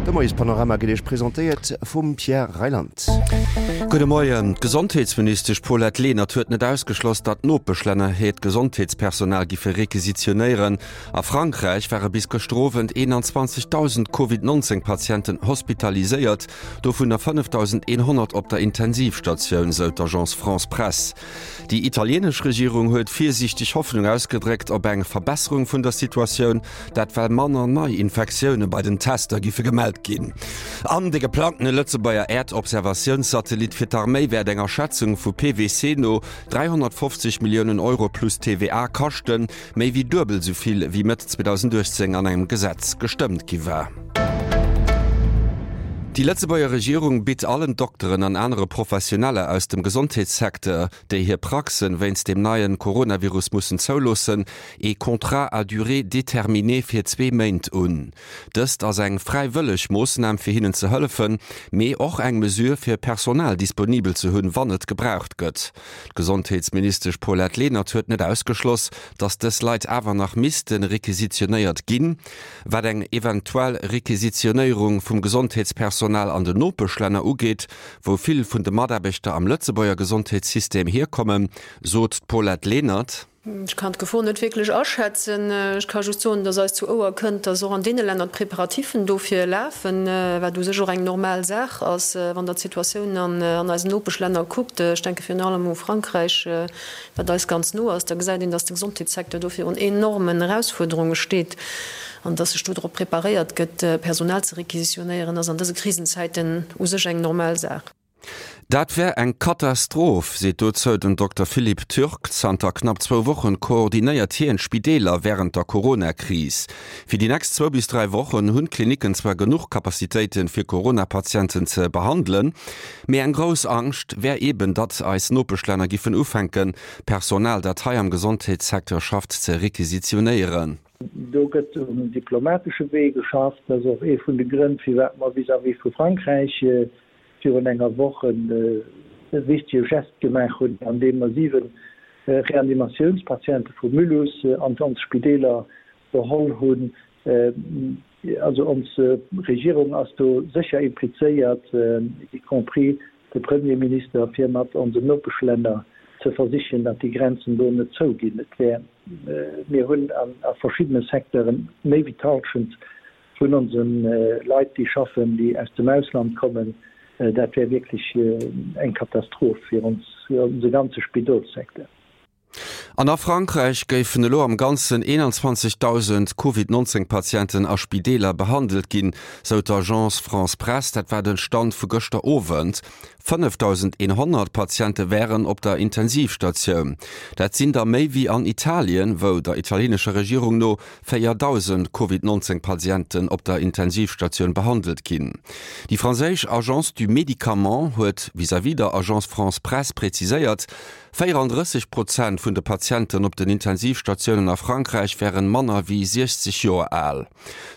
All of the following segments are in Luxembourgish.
De Moiespanorama gëtt Iech presentéiert vum Pierre Reyland. Gudde Moien. D'Gesondheetsministesch Paulette Lenert huet net ausgeschloss, datt d'Nopeschlänner hiert Gesondheetspersonal giffe requisitionéieren. A Frankräich ware bis gëschter Owend 21.000 Covid 19 Patienten hospitaliséiert, dovunner 5.100 op der Intensivstatioun, sou d'Agence France-Presse. Déi italieenesch Regierung huet virsiichteg Hoffnung ausgedréckt op eng Verbesserung vun der Situatioun, dat well manner Neiinfektioune bei den Tester giffe gemellt ginn. An de geplangtene Lëtzebuerger Äerdobservatiounssatellit fir d'Arméi wäert enger Schätzung vu PWC no 350 Milliounen Euro plus TVA kaschten, méi wéi duebel esou vill wéi Mëtt 2018 an engem Gesetz gestëmmt gi war. Déi Lëtzebuerger Regierung bitt allen Dokteren an anere Professioneller aus dem Gesondheetssecteur, déi hir Praxen wéinst dem neien Coronavirus mussen zouloossen, ee Contrat à durée déterminée fir zwee Méint un. Dëst ass eng fräiwëlleg Moossnam fir hinnen ze hëllefen, mee och eng Mesure fir Personal disponibel ze hunn, wann et gebraucht gëtt. D'Gesondheetsministesch Paulette Lenert huet net ausgeschloss, datt dës Leit awer nach misste requisitionéiert ginn. Wat eng eventuell Requisitionéierung vum Gesondheetspersonal an den Nopeschlänner ugeet, wou vill vun de Mataarbechter am Lëtzebuerger Gesondheetssystem hierkommen, sot d'Paulette Lenert. Ech kann d'Gefor net wierklech aschätzen. Ech ka just soen, dass eis zu Ouer kënnt, dass och an deene Länner d'Preparatiffen dofir lafen, wat u sech och eng normal Saach ass, wann Der d'Situatioun an eisen Nopeschlänner kuckt. Ech denke virun allem u Frankräich, wat eis ganz no ass. Da gesäit een, dass de Gesondheetssecteur do virun enormen Erausfuerderunge steet an dass sech do drop preparéiert gëtt, Personal ze requisitionéieren, ass an dëse Krisenzäiten u sech eng normal Saach. Dat wär eng Katastroph, seet dozou den Dokter Philippe Türk. Zanter knapp zwou Wochen koordinéiert hien d'Spideeler wärend der Corona-Kris. Fir déi nächst zwou bis 3 Wochen hunn d'Klinicken zwar genuch Capacitéiten, fir Corona-Patienten ze behandelen, mee eng grouss Angscht wär eben, datt eis Nopeschlänner giffen ufänken, Personal, dat hei am Gesondheetssecteur schafft, ze requisitionéieren. Do gëtt um diplomatesche Wee geschafft. Dat ass och ee vun de Grënn, firwat mer vis-à-vis vu Frankräich virun enger Woch e wichtege Geste gemaach hunn, andeem mer 7 Reanimatiounspatiente vu Mulhouse an ons Spideeler geholl hunn. Also ons Regierung ass do sécher implizéiert, y compris de Premierminister, fir mat onsen Nopeschlänner ze versichen, datt déi Grenzen do net zouginn. Et wär, mir hunn a verschiddene Secteuren méi wéi d'Halschent vun onse Leit, déi schaffen, déi aus dem Ausland kommen, dat wär wierklech eng Katastroph fir ons, fir onse ganze Spidolssecteur. An a Frankräich géifen elo am Ganzen 21.000 Covid 19 Patienten a Spideeler behandelt ginn, sou d'Agence France-Presse. Dat war de Stand vu gëschter Owend. 5.100 Patiente wären op der Intensivstatioun. Dat sinn der méi wéi an Italien, wou der italienescher Regierung no 4.000 Covid 19 Patienten op der Intensivstatioun behandelt ginn. Déi franséisch Agence du Médicament huet vis-à-vis der Agence France-Presse preziséiert, 34 Prozent vun de Patienten op den Intensivstatiounen a Frankräich wären manner wéi 60 Joer al.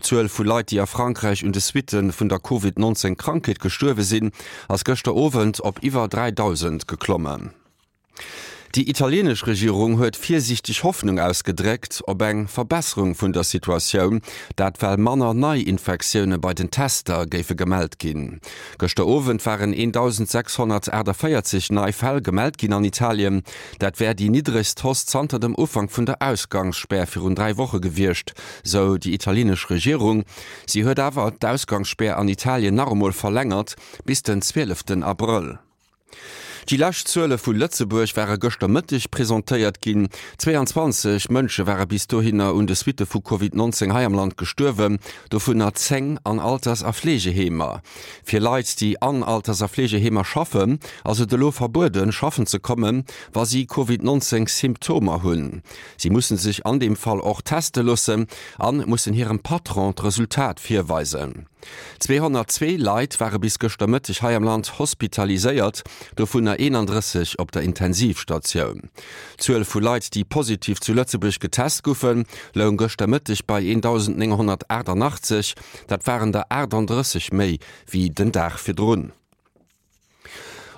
D'Zuel vu Leit, déi a Frankräich un de Suitte vun der Covid 19 Krankheet gestuerwe sinn, ass gëschter Owend op iwwer 3.000 geklommen. Déi italienesch Regierung huet virsiichteg Hoffnung ausgedréckt op eng Verbesserung vun der Situatioun, dat well manner Neiinfektioune bei den Tester géife gemellt ginn. Gëschter Owend waren 1.648 nei Fäll gemellt ginn an Italien. Dat wär déi niddregst Hausse zanter dem Ufank vun der Ausgangsspär virun 3 Woche gewiescht, sou déi italienesch Regierung. Si huet awer d'Ausgangsspär an Italien nach emol verlängert bis den 12 Abrëll. Déi lescht Zuele vu Lëtzebuerg ware gëschter Mëtteg presentéiert ginn. 22 Mënsche ware bis dohinner un de Suitte vu Covid 19 hei am Land gestuerwen, dovunner 10 an Alters a Fleegeheemer. Fir Leit, déi an Alters a Fleegeheemer schaffen, ass et elo verbueden, schaffen ze kommen, wa si Covid 19 Symptomer hunn. Si musse sech an deem Fall och teste loossen a mussen hirem Patron d'Resultat virweisen. 202 Leit ware bis gëschter Mëtteg hei am Land hospitaliséiert, dovunner 31 op der Intensivstatioun. D'Zuel vu Leit, déi positiv zu Lëtzebuerg getest goufen, loung gëschter Mëtteg bei 1.988. Dat waren der 38 méi wéi den Dag virdrun.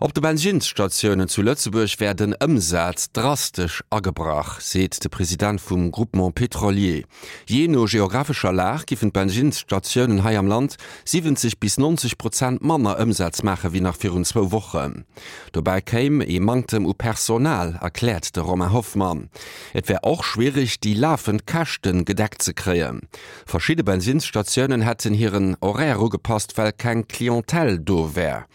Op de Bensinnsstatiounen zu Lëtzebuerg wär den Ëmsaz drastesch agebrach, seet de President vum Groupement Pétrolier. Jee no geographescher Lag giffen d'Bensinnsstatiounen hei am Land 70 bis 90 Prozent manner Ëmsaz maache wéi nach virun zwou Wochen. Dobäi kéim ee Manktem u Personal, erkläert de Romain Hoffmann. Et wär och schwiereg, déi lafend Käschte gedeckt ze kréien. Verschidde Bensinnsstatiounen hätten hiren Horaire ugepasst, well keng Clientèle do wär.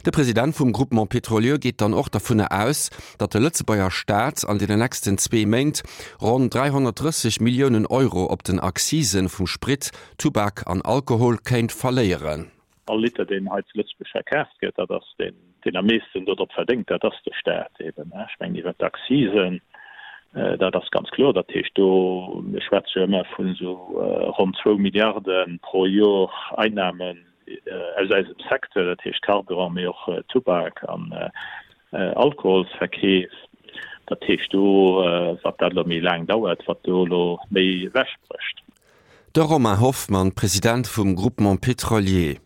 De President vum Groupement pétrolier geet dann och dovunner aus, datt de Lëtzebuerger Staat an deene nächsten zwee Méint ronn 330 Milliounen Euro op den Accisen vum Sprit, Tubak an Alkohol kéint verléieren. All Liter, deen hei zu Lëtzebuerg verkaaft gëtt, dat ass deen, deen am meeschten dodrop verdéngt, dat ass de Staat eben. Ech mengen iwwert d'Accisen, dat ass ganz kloer. Dat heescht do, mir schwätze jo ëmmer vun esou ronn zwou Milliarde pro Jor Einnahmen aus eisem Secteur, dat heescht Carburant, mee och Tubak an Alkoholsverkeef. Dat heescht do, wat dat elo méi laang dauert, wat do elo méi ewechbrécht. De Romain Hoffmann, President vum Groupement Pétrolier.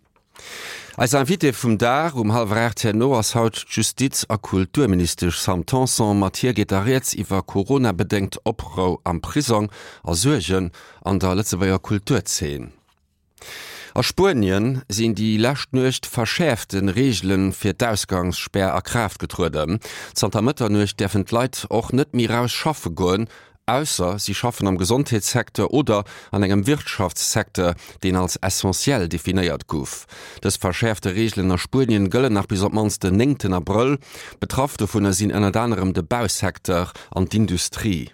Eis Invitée vum Dag um hallwer 8 herno ass haut d'Justiz a Kulturministesch Sam Tanson. Mat hir geet da rieds iwwer Corona-bedéngt Oprou am Prisong a Suergen an der Lëtzebuerger Kulturzeen. A Spuenien sinn déi lescht Nuecht verschäerfte Reegele fir d'Ausgangsspär a Kraaft getrueden. Zanter Mëtternuecht däerfen d'Leit och net méi raus schaffe goen, ausser si schaffen am Gesondheetssecteur oder an engem Wirtschaftssecteur, deen als essentiell definéiert gouf. Dës verschäerfte Reegelen a Spuenien gëllen nach bis op d'mannst den néngten Abrëll. Betraff dovunner sinn ënnert anerem de Bausecteur an d'Industrie.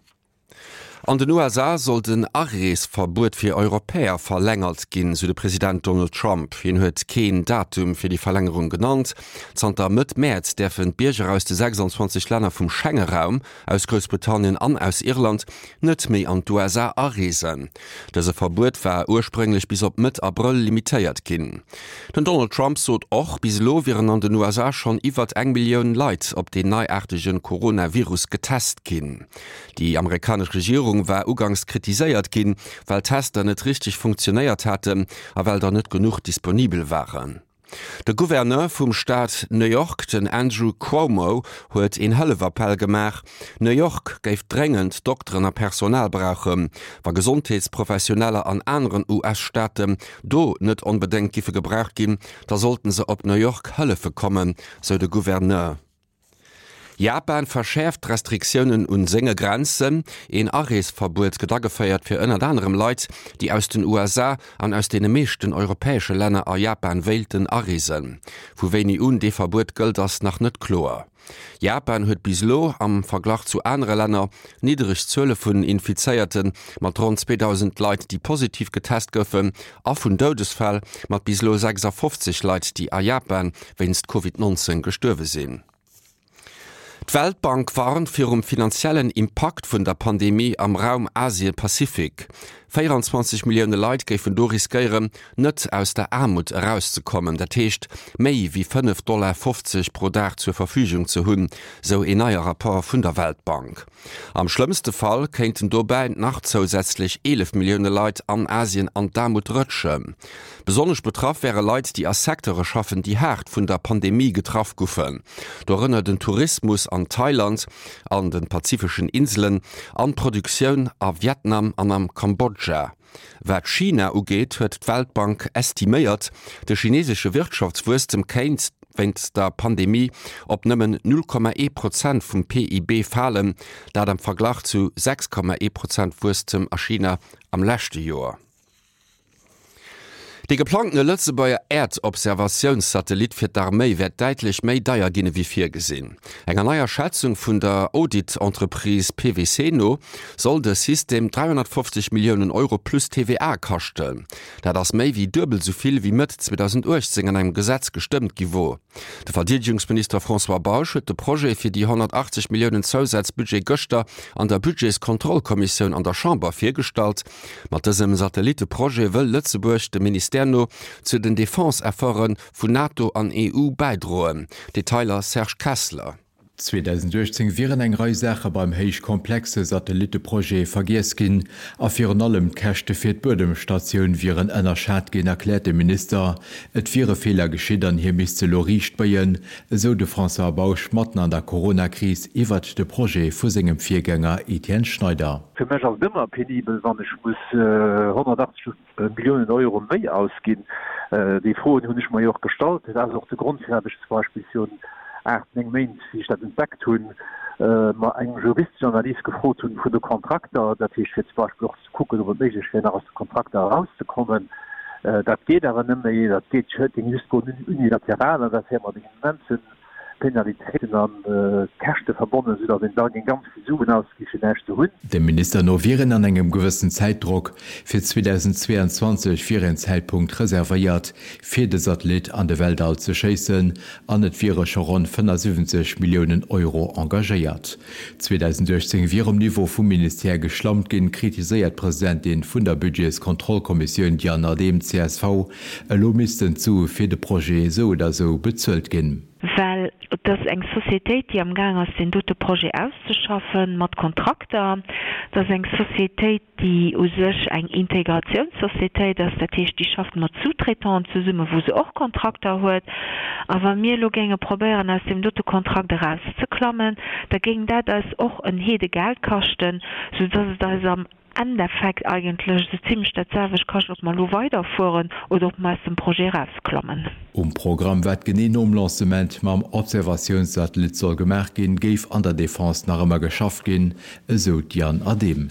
An den USA soll den Areesverbuet fir Europäer verlängert ginn, sou de President Donald Trump. Hien huet keen Datum fir déi Verlängerung genannt. Zanter Mëtt Mäerz däerfen d'Bierger aus de 26 Länner vum Schengeraum, aus Groussbritannien an aus Irland net méi an d'USA areesen. Dëse Verbuet war ursprénglech bis op Mëtt Abrëll limitéiert ginn. Den Donald Trump sot och, bis elo wieren an den USA schonn iwwert eng Millioun Leit op deen neiaartege Coronavirus getest ginn. Déi amerikanesch Regierung war uganks kritiséiert ginn, well d'Tester net richteg funktionéiert haten a well der net genuch disponibel waren. De Gouverneur vum Staat New York, den Andrew Cuomo, huet een Hëllefappell gemaach. New York géif dréngend Dokteren a Personal brauchen. Wa Gesondheetsprofessioneller an aneren US-Staaten do net onbedéngt giffe gebraucht ginn, da sollten se op New York hëllefe kommen, sou de Gouverneur. Japan verschäerft d'Restriktiounen un senge Grenzen. Een Areesverbuet gëtt ageféiert fir ënnert anerem Leit, déi aus den USA an aus deene meeschten europäesche Länner a Japan wéilten areesen. Vu wéini un dee Verbuet gëllt, ass nach net kloer. Japan huet bis elo am Verglach zu anere Länner niddereg Zuele vun Infizéierten, mat ronn 2.000 Leit, déi positiv getest goufen, a vun Doudesfäll, mat bis elo 56 Leit, déi a Japan wéinst Covid 19 gestuerwe sinn. D'Weltbank warnt virum finanziellen Impakt vun der Pandemie am Raum Asien-Pazifik. 24 Millioune Leit géifen do riskéieren, net aus der Aarmut erauszekommen, dat heescht méi wéi 5,50 Dollar pro Dag zur Verfügung ze hunn, sou een neie Rapport vun der Weltbank. Am schlëmmste Fall kéinten dobäi nach zousätzlech 11 Millioune Leit an Asien an d'Aarmut rëtschen. Besonnesch betraff wäre Leit, déi a Secteure schaffen, déi haart vun der Pandemie getraff goufen, dorënner den Tourismus an Thailand, an de pazifeschen Inselen an d'Produktioun a Vietnam an am Kambodscha. Wat China ugeet, huet d'Weltbank estiméiert, de chinesesche Wirtschaftswuesstem kéint wéinst der Pandemie op nëmmen 0,1 Prozent vum PIB falen, dat am Verglach zu 6,1 Prozent Wuesstem a China am leschte Joer. Dee geplangtene Lëtzebuerger Äerdobservatiounssatellit fir d'Arméi wäert däitlech méi deier ginn ewéi virgesinn. Enger neier Schätzung vun der Audit-Entreprise PwC no soll de System 350 Milliounen Euro plus TVA kaschten. Dat ass méi wéi duebel esou vill, wéi Mëtt 2018 an engem Gesetz gestëmmt gi wor. De Verdeedegungsminister François Bausch huet de Projet fir déi 180 Milliounen Zousazbudget gëschter an der Budgetskontrollkommissioun an der Chamber virgestallt. Mat dësem Satellitteprojet wëll Lëtzebuerg dem Ministère no zu den Defense-Efforte vun NATO an EU bäidroen. Detailer Serge Kessler. 2018 wieren eng Rei Saache beim héich komplexe Satellitteprojet vergiess ginn a virun allem d'Käschte fir d'Buedemstatioun wieren ënnerschat ginn, erkläert de Minister. Et wiere Feeler geschitt an hie misst se elo riichtbéien, esou de François Bausch matten an der Corona-Kris iwwert de Projet vu sengem Virgänger Etienne Schneider. Fir mech ass et ëmmer penibel, wann ech muss 180 Milliounen Euro méi ausginn. Déi Froen hunn ech mer jo och gestallt. Dat ass och de Grond, firwat ech zum Beispill virun aacht, néng Méint, wéi ech dat entdeckt hunn, mer eng juristesch Analys gefrot hunn vun de Kontrakter, dat heescht fir zum Beispill och ze kucken, ob et méiglech wär, nach aus de Kontrakter erauszekommen. Dat geet awer net méi. Dat geet, géing just goen unilateral an dat wär mat immensen Penalitéiten a Käschte verbonnen, soudatt een da géing ganz vill Suen ausgi fir näischt ze hunn. Dem Minister no wier een an engem gewëssen Zäitdrock. Fir 2022 wier een Zäitpunkt reservéiert, fir de Satellit an de Weltall ze schéissen an et wiere scho ronn 75 Milliounen Euro engagéiert. 2018 wier um Niveau vum Ministère geschlampt ginn, kritiséiert d'Presidentin vun der Budgetskontrollkommissioun Diane Adehm, csv. Elo missten d'Sue fir de Projet esou oder esou bezuelt ginn. Well et ass eng Sociétéit, déi amgaang ass, deen dote Projet auszeschaffen, mat Kontrakter. Et ass eng Sociétéit, déi u sech eng Integrationssociétéit ass, dat heescht, déi schafft mat Sous-traitanten zesummen, wou se och Kontrakter huet. A wa mir elo géinge probéieren, aus deem dote Kontrakt erauszeklammen, da géing dat eis och en Heedegeld kaschten, soudass et eis am Endeffekt eigentlech esou zimlech dat selwecht kascht, ob mer elo weiderfueren oder ob mer aus dem Projet erausklammen. Um Programm, wat genee nom Lancement mam Observatiounssatellit soll gemaach ginn, géif an der Defense nach ëmmer geschafft ginn, esou d'Diane Adehm.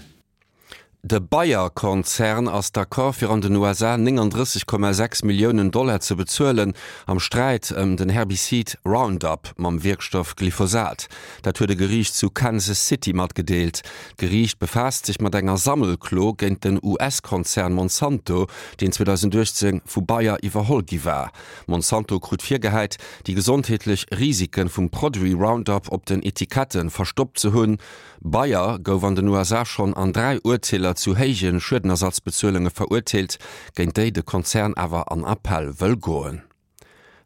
De Bayer-Konzern ass d'accord fir an den USA 39,6 Milliounen Dollar ze bezuelen am Sträit ëm den Herbizid Roundup mam Wierkstoff Glyphosat. Dat huet e Geriicht zu Kansas City matgedeelt. D'Geriicht befaasst sech mat enger Sammelklo géint den US-Konzern Monsanto, deen 2018 vu Bayer iwwerholl gi war. Monsanto krut virgehäit, déi gesondheetlech Risike vum Produit Roundup op den Etikette verstoppt ze hunn. Bayer gouf an den USA schonn an 3 Urteeler zu héije Schuedenersatzbezuelunge verurteelt, géint déi de Konzern awer an Appell wëll goen.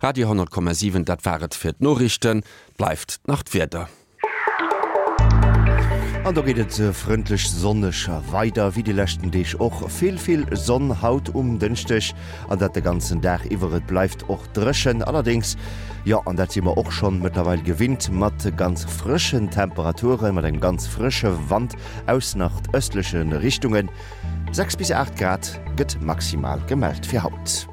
Radio 10,7 Dat war et fir d'Noriichten. Bleift nach d'Wieder. An do geet et frëndlech sonneg weider, wéi déi leschten Deeg och. Vill, vill Sonn haut um Dënschdeg an dat de ganzen Dag iwwer. Et bleift och dréchen, allerdéngs, jo, an dat si mer och schonn mëttlerweil gewinnt, mat ganz frëschen Temperaturen, mat engem ganz frësche Wand aus nordëstleche Richtungen. 6 bis 8 Grad gëtt maximal gemellt fir haut.